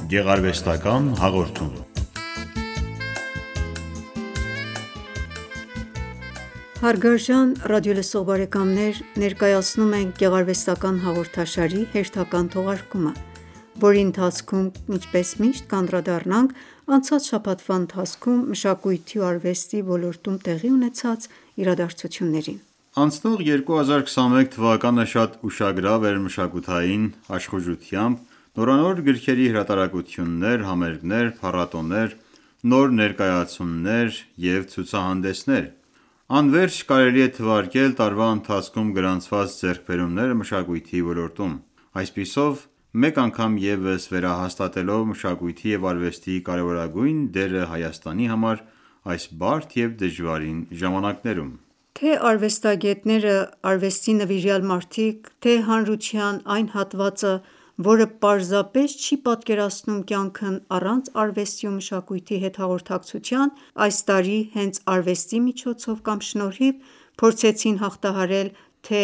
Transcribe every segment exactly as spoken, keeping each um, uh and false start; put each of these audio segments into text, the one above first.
Գեղարվեստական հաղորդում։ Հարգարժան ռադիոլսող բարեկամներ, ներկայացնում ենք գեղարվեստական հաղորդաշարի հերթական թողարկումը, որի ընթացքում ինչպես միշտ կանդրադառնանք անցած շաբաթվա ընթացքում մշակույթի ու արվեստի ոլորտում տեղի ունեցած իրադարձություններին։ Անցնող երկու հազար քսաներորդ թվականը շատ ուշագրավ էր մշակութային աշխուժությամբ, նորանոր գրքերի հրատարակություններ, համերգներ, փառատոներ, նոր ներկայացումներ և ցուցահանդեսներ։ Անվերջ կարելի է թվարկել տարվա ընթացքում գրանցված ձեռքբերումները մշակույթի ոլորտում։ Այսպիսով, մեկ անգամ ևս վերահաստատելով մշակույթի և արվեստի կարևորագույն դերը Հայաստանի համար այս բարդ և դժվարին ժամանակներում։ Թե արվեստագետները, արվեստի նվիրյալ մարդիկ, թե հանրության այն հատվածը, որը պարզապես չի պատկերացնում կյանքն առանց արվեստի ու մշակույթի հետ հաղորդակցության, այս տարի հենց արվեստի միջոցով կամ շնորհիվ փորձեցին հաղթահարել թե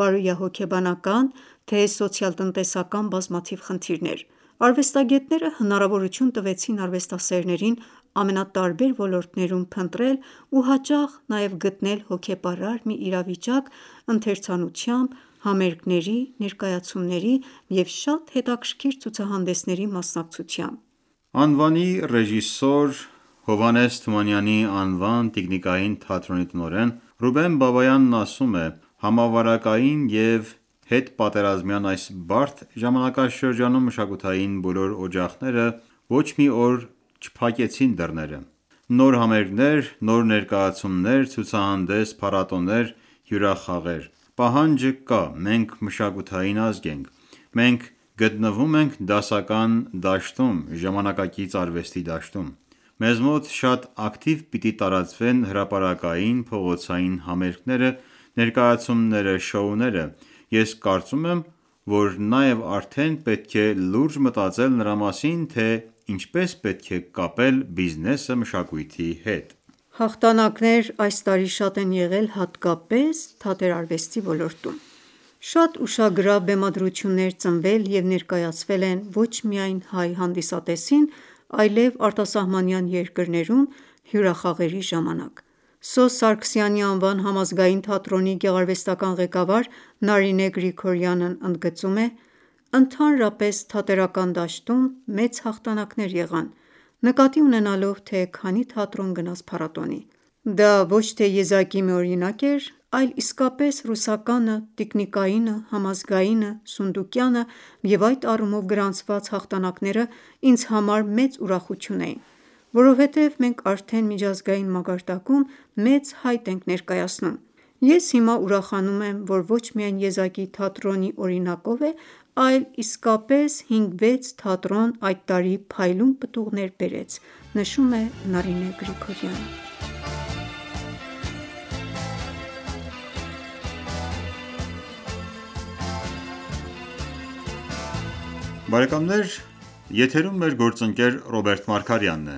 բարոյահոգեբանական, թե սոցիալ-տնտեսական բազմաթիվ խնդիրներ։ Արվեստագետները հնարավորություն տվեցին արվեստասերներին ամենատարբեր ոլորտներում փնտրել ու հաճախ նաև գտնել հոգեպարար մի իրավիճակ ընթերցանությամբ, համերգների, ներկայացումների և շատ հետաքրքիր ցուցահանդեսների մասնակցությամբ։ Անվանի ռեժիսոր Հովհաննես Թումանյանի անվան տիկնիկային թատրոնի տնօրեն Ռուբեն Բաբայանն ասում է. «Համավարակային և հետպատերազմյան այս բարդ ժամանակաշրջանում մշակութային բոլոր օջախները ոչ մի օր չփակեցին դռները։ Նոր համերգներ, նոր ներկայացումներ, ցուցահանդես, փառատոներ, հյուրախաղեր։ Պահանջը կա, մենք մշակութային ազգ ենք։ Մենք գտնվում ենք դասական դաշտում, ժամանակակից արվեստի դաշտում։ Մեզ մոտ շատ ակտիվ պիտի տարածվեն հրապարակային, փողոցային համերգները, ներկայացումները, շոուները։ Ես կարծում եմ, որ նաև արդեն պետք է լուրջ մտածել նրա մասին, թե ինչպես պետք է կապել բիզնեսը մշակույթի հետ»։ Հաղթանակներ այս տարի շատ են եղել հատկապես թատերարվեստի ոլորտում։ Շատ ուշագրավ բեմադրություններ ծնվել և ներկայացվել են ոչ միայն հայ հանդիսատեսին, այլև արտասահմանյան երկրներում հյուրախաղերի ժամանակ։ Սոս Սարգսյանի անվան համազգային թատրոնի գեղարվեստական ղեկավար Նարինե Գրիգորյանն ընդգծում է. «Ընդհանրապես թատերական դաշտում մեծ հաղթանակներ եղան, նկատի ունենալով, թե քանի թատրոն գնաց փառատոնի։ Դա ոչ թե եզակի մի օրինակ էր, այլ իսկապես ռուսականը, տիկնիկայինը, համազգայինը, սունդուկյանը և այդ առումով գրանցված հաղթանակները ինձ համար մեծ ուրախություն էին, որովհետև մենք արդեն միջազգային մակարդակում մեծ հայտ ենք ներկայացնում։ Ես հիմա ուրախանում եմ, որ ոչ միայն եզակի թատրոնի օրինակով է, այլ իսկապես հինգ-վեց թատրոն այդ տարի փայլուն պտուղներ բերեց», նշում է Նարինե Գրիգորյանը։ Բարեկամներ, եթերում մեր գործընկեր Ռոբերտ Մարգարյանն է։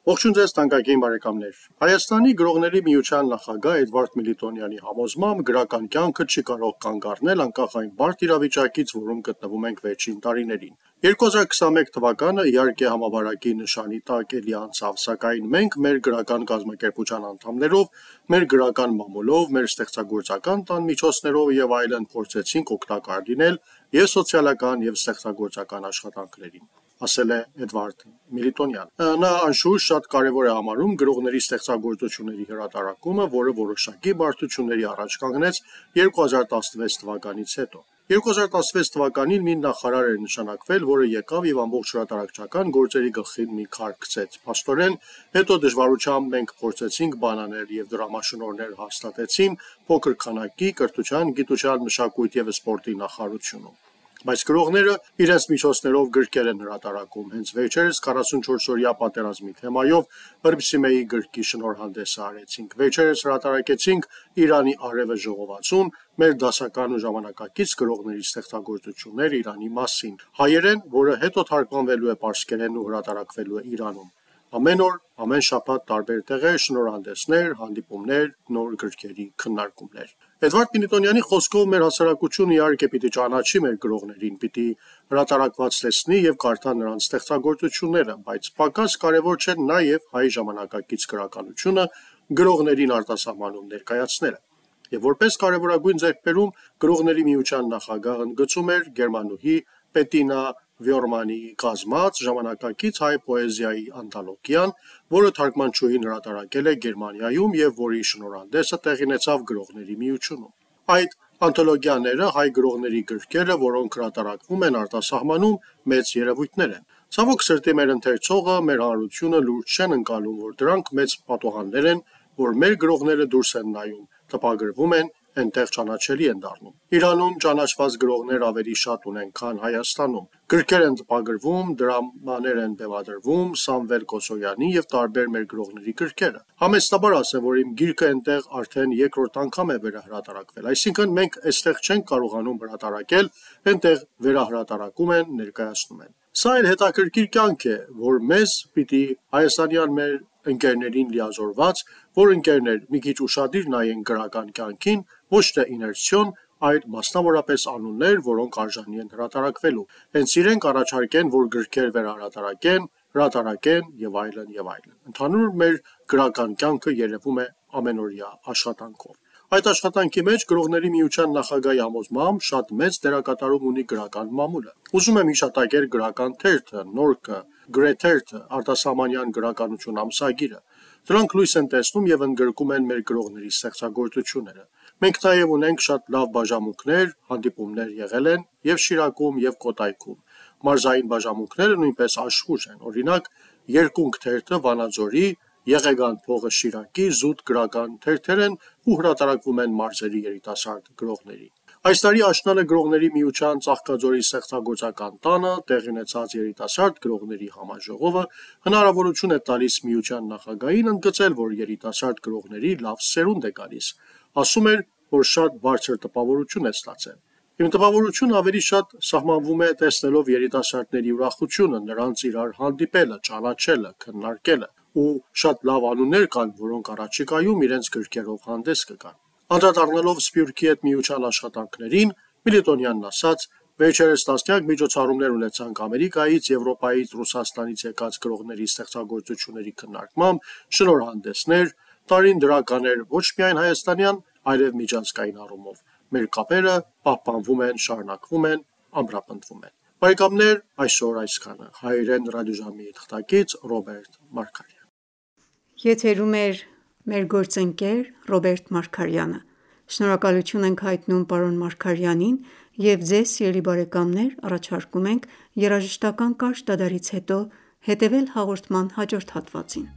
Ողջույն ձեզ թանկագին բարեկամներ։ Հայաստանի գրողների միության նախագահ Էդվարդ Միլիտոնյանի համոզմամբ գրական կյանքը չի կարող կանգ առնել անկախ այն բարդ իրավիճակից, որում գտնվում ենք վերջին տարիներին։ երկու հազար քսաներորդ թվականը իհարկե համավարակի նշանի տակ էլի անցավ, սակայն մենք մեր գրական կազմակերպության անդամներով, մեր գրական մամուլով, մեր ստեղծագործական տան միջոցներով և այլն փորձեցինք օգտակար լինել և սոցիալական և ստեղծագործական աշխատանքներին, ասել է Էդվարդ Միլիտոնյանը։ Նա անշուշտ շատ կարևոր է համարում գրողների ստեղծագործությունների հրատարակումը, որը որոշակի բարդությունների առաջ կանգնեց երկու հազար տասնվեց թվականից հետո։ երկու հազար տասնվեց թվականին մի նախարար էր նշանակվել, որը եկավ և ամբողջ հրատարակչական գործերի գլխին մի քար գցեց։ Փաստորեն, հետո դժվարությամբ մենք փորձեցինք բանանել և դրամաշնորհներ հաստատեցին փոքր քանակի կրթության, գիտության, մշակույթի և սպորտի նախարարությունում։ Բայց գրողները իրենց միջոցներով գրքեր են հրատարակում։ Հենց վերջերս քառասունչորսօրյա պատերազմի թեմայով Հռիփսիմեի գրքի շնորհանդեսը արեցինք։ Վերջերս հրատարակեցինք Իրանի արևը ժողովածուն, մեր դասական ու ժամանակակից գրողների ստեղծագործություններ Իրանի մասին, հայերեն, որը հետո թարգմանվելու է պարսկերեն ու հրատարակվելու է Իրանում։ Ամեն օր, ամեն շաբաթ տարբեր տեղեր, շնորհանդեսներ, հանդիպումներ, նոր գրքերի քննարկումներ։ Էդվարդ Մինիտոնյանի խոսքով մեր հասարակությունը իհարկե պիտի ճանաչի մեր գրողներին, պիտի հրատարակված տեսնի եւ կարդա նրանց ստեղծագործությունները, բայց պակաս կարևոր չէ նաեւ հայ ժամանակակից գրականությունը գրողներին արտասահմանում ներկայացնելը։ Եվ որպես կարևորագույն ձեռքբերում գրողների միության նախագահը ընդգծում էր գերմանուհի Պետինա Վյորմանի կազմած ժամանակակից հայ պոեզիայի անթոլոգիան, որը թարգմանչուհին հրատարակել է Գերմանիայում եւ որի շնորհանդեսը տեղի ունեցավ գրողների միությունում։ Այդ անթոլոգիաները հայ գրողների գրքերը, որոնք հրատարակվում են արտասահմանում, մեծ երևույթներ են։ Ցավոք սրտի մեր ընթերցողը, մեր հանրությունը լուրջ չեն ընկալում, որ դրանք մեծ պատուհաններ են, որ մեր գրողները դուրս են նայում, տպագրվում են, այնտեղ ճանաչելի են դառնում։ Իրանում ճանաչված գրողներ ավելի շատ ունեն, քան Հայաստանում։ Գրքեր են տպագրվում, դրամաներ են բեմադրվում, Սամվել Կոսոյանի եւ տարբեր մեր գրողների գրքերը։ Համեստաբար ասեմ, որ իմ գիրքը այնտեղ արդեն երկրորդ անգամ է վերահրատարակվել, այսինքն մենք այստեղ չենք կարողանում հրատարակել, այնտեղ վերահրատարակում են, ներկայացնում են։ Սա այլ հետաքրքիր կյանք է, որ մեզ պիտի հայաստանյան մեր ընկերներին լիազորված, որ ընկերներ մի քիչ ուշադիր նայեն գրական կյանքին, ոչ թե իներցիոն, այլ մասնավորապես անուններ, որոնք արժանի են հրատարակվելու։ Հենց իրենք առաջարկեն, որ գրքեր վերահրատարակեն, հրատարակեն եւ այլն եւ այլն։ Ընդհանուր մեր գրական կյանքը երևում է ամենօրյա աշխատանքով։ Այդ աշխատանքի մեջ գրողների միության նախագահի համոզմամբ շատ մեծ դերակատարում ունի գրական մամուլը։ Ուզում եմ հիշատակել գրական թերթը, նորքը, գրեթերթը, արտասահմանյան գրականություն ամսագիրը։ Դրանք լույս են տեսնում եւ ընդգրկում են մեր գրողների ստեղծագործությունները։ Մենք նաեւ ունենք շատ լավ բաժանմունքներ, հանդիպումներ եղել են եւ Շիրակում եւ Կոտայքում։ Մարզային բաժանմունքները նույնպես աշխուժ են։ Օրինակ, Երկունք թերթը Վանաձորի, Եղեգան փողը Շիրակի զուտ գրական թերթեր են ու հրատարակվում են մարզերի երիտասարդ գրողների։ Այս տարի աշնանը գրողների միության Ծաղկաձորի ստեղծագործական տանը տեղի ունեցած երիտասարդ գրողների համաժողովը հնարավորություն է տալիս միության նախագահին ընդգծել, որ երիտասարդ գրողների լավ սերունդ է գալիս։ Ասում էր, որ շատ բարձր տպավորություն է ստացել։ Իմ տպավորությունը ավելի շատ սահմանվում է տեսնելով երիտասարդների ուրախությունը, նրանց իրար հանդիպելը, ճանաչելը, քննարկելը, ու շատ լավ անուններ կան, որոնք առաջիկայում իրենց գրքերով հանդես կգան։ Անդրադառնալով Սփյուռքի հետ միության աշխատանքներին, Մինիտոնյանն ասաց. «Վերջերս տասնյակ միջոցառումներ ունեցանք Ամերիկայից, Եվրոպայից, Ռուսաստանից եկած գրողների ստեղծագործությունների քննարկմամբ, շնորհանդեսներ, տարին դրական էր ոչ միայն հայաստանյան, այլև միջազգային առումով։ Մեր կապերը պահպանվում են, շարունակվում են, ամրապնդվում են»։ Բարեկամներ, այսօր այսքանը։ Հայերեն ռադիոժամի թղթակից Ռոբերտ Մարգարյան։ Եթերում է մեր գործընկեր Ռոբերտ Մարգարյանը։ Շնորհակալություն ենք հայտնում պարոն Մարգարյանին և ձեզ սիրելի բարեկամներ առաջարկում ենք երաժշտական կարճ դադարից հետո հետևել հաղորդման հաջորդ հատվածին։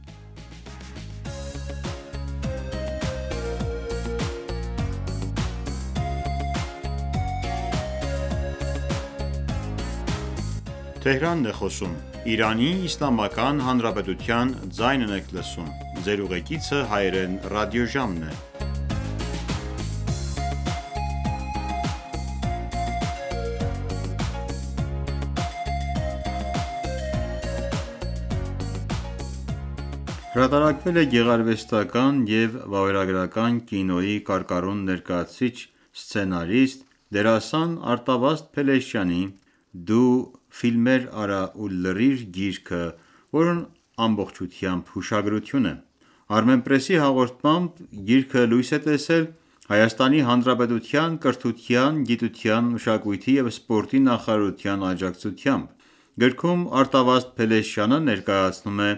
Հրատարակվել է գեղարվեստական և վավերագրական կինոյի կարկառուն ներկայացուցիչ, սցենարիստ, դերասան Արտավազդ Փելեշյանի «Դու ֆիլմեր արա ու լռիր» գիրքը, որն ամբողջությամբ հուշագրություն է։ Armenpress-ի հաղորդմամբ գիրքը լույս է տեսել Հայաստանի Հանրապետության կրթության, գիտության, մշակույթի և սպորտի նախարարության աջակցությամբ։ Գրքում Արտավազդ Փելեշյանը ներկայացնում է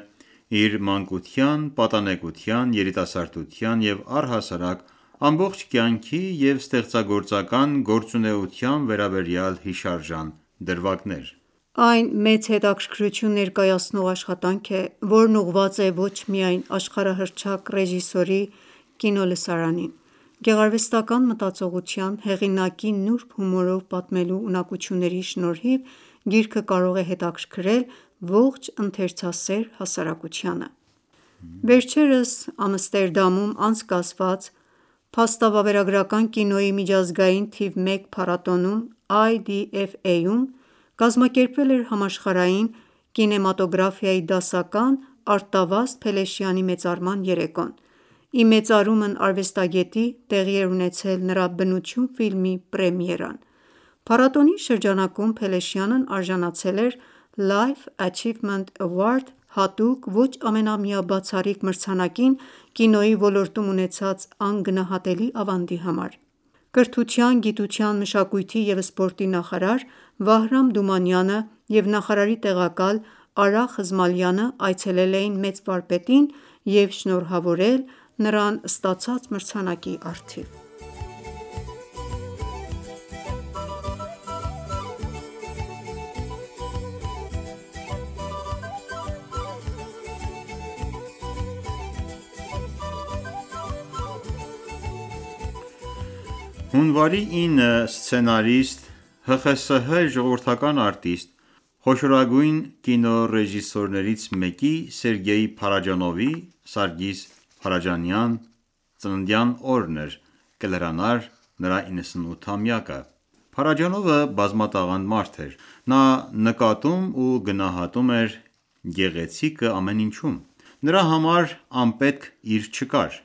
իր մանկության, պատանեկության, երիտասարդության և առհասարակ ամբողջ կյանքի և ստեղծագործական գործունեության վերաբերյալ հիշարժան դրվագներ։ Այն մեծ հետաքրքրություն ներկայացնող աշխատանք է, որն ուղղված է ոչ միայն աշխարհահռչակ ռեժիսորի կինոլսարանին։ Գեղարվեստական մտածողության, հեղինակի նուրբ հումորով պատմելու ունակությունների շնորհիվ գիրքը կարող է հետաքրքրել ողջ ընթերցասեր հասարակությանը։ Վերջերս Ամստերդամում անցկացված փաստավավերագրական կինոյի միջազգային թիվ մեկ փառատոնում I D F A-ում կազմակերպվել էր համաշխարհային կինեմատոգրաֆիայի դասական Արտավազդ Փելեշյանի մեծարման երեկոն։ «Ի մեծարումն» արվեստագետի տեղի էր ունեցել նրա «Բնություն» ֆիլմի պրեմիերան։ Փառատոնի շրջանակում Փելեշյանն արժանացել էր Life Achievement Award հատուկ ոչ ամենամյա բացառիկ մրցանակին կինոյի ոլորտում ունեցած անգնահատելի ավանդի համար։ Կրթության, գիտության, մշակույթի և սպորտի նախարար Վահրամ Դումանյանը և նախարարի տեղակալ Արա Խզմալյանը այցելել էին մեծ վարպետին և շնորհավորել նրան ստացած մրցանակի առթիվ։ Հունվարի ինը սցենարիստ, Հ Խ С Հ ժողովրդական արտիստ, խոշորագույն կինոռեժիսորներից մեկի՝ Սերգեյ Փարաջանովի (Սարգիս Փարաջանյան) ծննդյան օրն էր, կլրանար նրա իննսունութամյակը։ Փարաջանովը բազմատաղանդ մարդ էր։ Նա նկատում ու գնահատում էր գեղեցիկը ամեն ինչում։ Նրա համար անպետք իր չկար։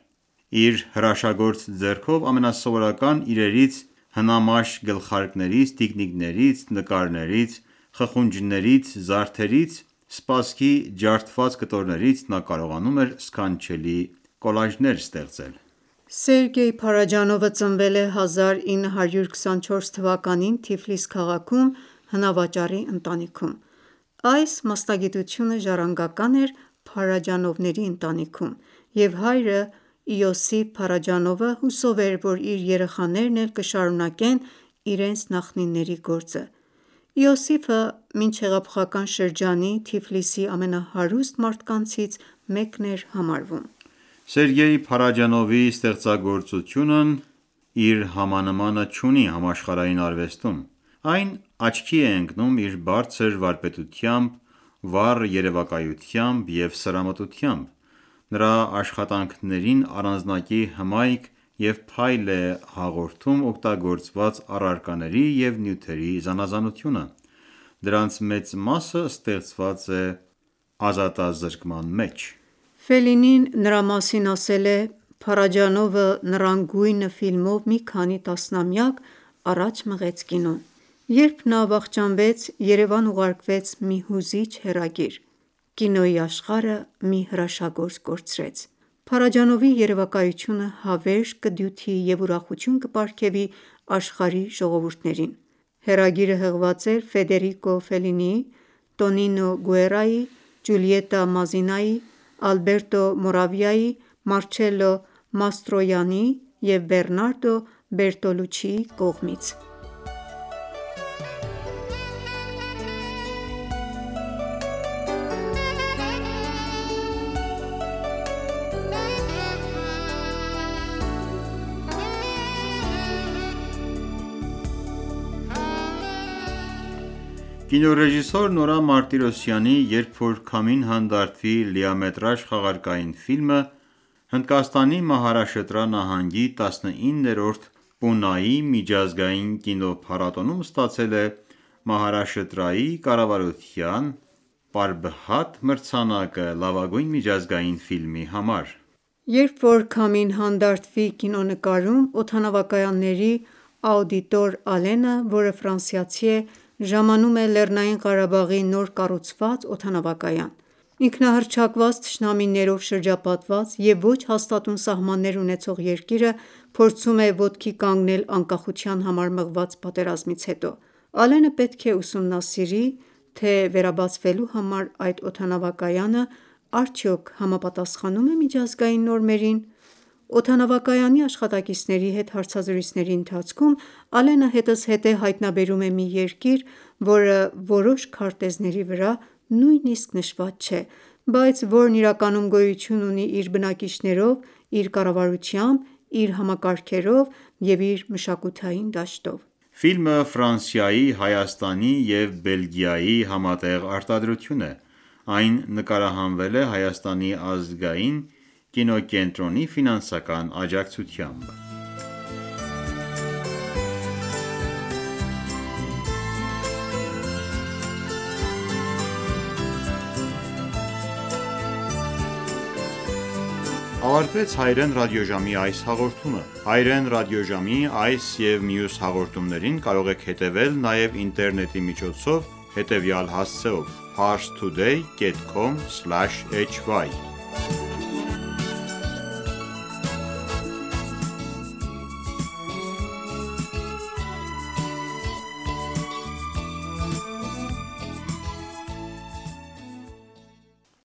Իր հրաշագործ ձեռքով ամենասովորական իրերից, հնամաշ գլխարկներից, տիկնիկներից, նկարներից, խխունջներից, զարդերից, սպասքի ջարդված կտորներից նա կարողանում էր սքանչելի կոլաժներ ստեղծել։ Սերգեյ Փարաջանովը ծնվել է հազար ինը հարյուր քսանչորս թվականին Թիֆլիս քաղաքում հնավաճառի ընտանիքում։ Այս մասնագիտությունը ժառանգական էր Փարաջանովների ընտանիքում, և հայրը՝ Իոսիֆ Փարաջանովը հուսով էր, որ իր երեխաներն էլ կշարունակեն իրենց նախնիների գործը։ Իոսիֆը մինչ հեղափոխական շրջանի Թիֆլիսի ամենահարուստ մարդկանցից մեկն էր համարվում։ Սերգեյ Փարաջանովի ստեղծագործությունն իր համանմանը չունի համաշխարհային արվեստում։ Այն աչքի է ընկնում իր բարձր վարպետությամբ, վառ երևակայությամբ և սրամտությամբ։ Նրա աշխատանքներին առանձնակի հմայք և փայլ է հաղորդում օգտագործված առարկաների և նյութերի զանազանությունը։ Դրանց մեծ մասը ստեղծված է ազատազրկման մեջ։ Ֆելինին նրա մասին ասել է.«Փարաջանովը «Նռան գույնը» ֆիլմով մի քանի տասնամյակ առաջ մղեց կինոն։ Երբ նա վախճանվեց, Երևան ուղարկվեց մի հուզիչ հեռագիր. «Կինոյի աշխարհը մի հրաշագործ կորցրեց»։ Փարաջանովի երևակայությունը հավերժ կդյութի և ուրախություն կպարգևի աշխարհի ժողովուրդներին։ Հեռագիրը հղված էր Ֆեդերիկո Ֆելինիի, Տոնինո Գուերայի, Ջուլիետտա Մազինայի, Ալբերտո Մորավիայի, Մարչելլո Մաստրոյանիի և Բեռնարդո Բերտոլուչիի կողմից։ Կինոռեժիսոր Նորա Մարտիրոսյանի «Երբ որ քամին հանդարտվի» լիամետրաժ խաղարկային ֆիլմը Հնդկաստանի Մահարաշտրա նահանգի տասնիններորդ Պունայի միջազգային կինոփառատոնում ստացել է Մահարաշտրայի կառավարության «Պարբհատ» մրցանակը լավագույն միջազգային ֆիլմի համար։ «Երբ որ քամին հանդարտվի» կինոնկարում օդանավակայանների աուդիտոր Ալենը, որը ֆրանսիացի է, ժամանում է Լեռնային Ղարաբաղի նոր կառուցված օդանավակայան։ Ինքնահռչակված թշնամիներով շրջապատված և ոչ հաստատուն սահմաններ ունեցող երկիրը փորձում է ոտքի կանգնել անկախության համար մղված պատերազմից հետո։ Ալենը պետք է ուսումնասիրի, թե վերաբացվելու համար այդ օդանավակայանը արդյոք համապատասխանում է միջազգային նորմերին։ Օդանավակայանի աշխատակիցների հետ հարցազրույցների ընթացքում Ալենը հետզհետե հայտնաբերում է մի երկիր, որը որոշ քարտեզների վրա նույնիսկ նշված չէ, բայց որն իրականում գոյություն ունի իր բնակիչներով, իր կառավարությամբ, իր համակարգերով և իր մշակութային դաշտով։ Ֆիլմը Ֆրանսիայի, Հայաստանի և Բելգիայի համատեղ արտադրություն է։ Այն նկարահանվել է Հայաստանի ազգային կինոկենտրոնի ֆինանսական աջակցությամբ։ ավարտվեց Հայերեն ռադիոժամի այս հաղորդումը։ Հայերեն ռադիոժամի այս և մյուս հաղորդումներին կարող եք հետևել նաև ինտերնետի միջոցով հետևյալ հասցեով՝ parstoday dot com slash hy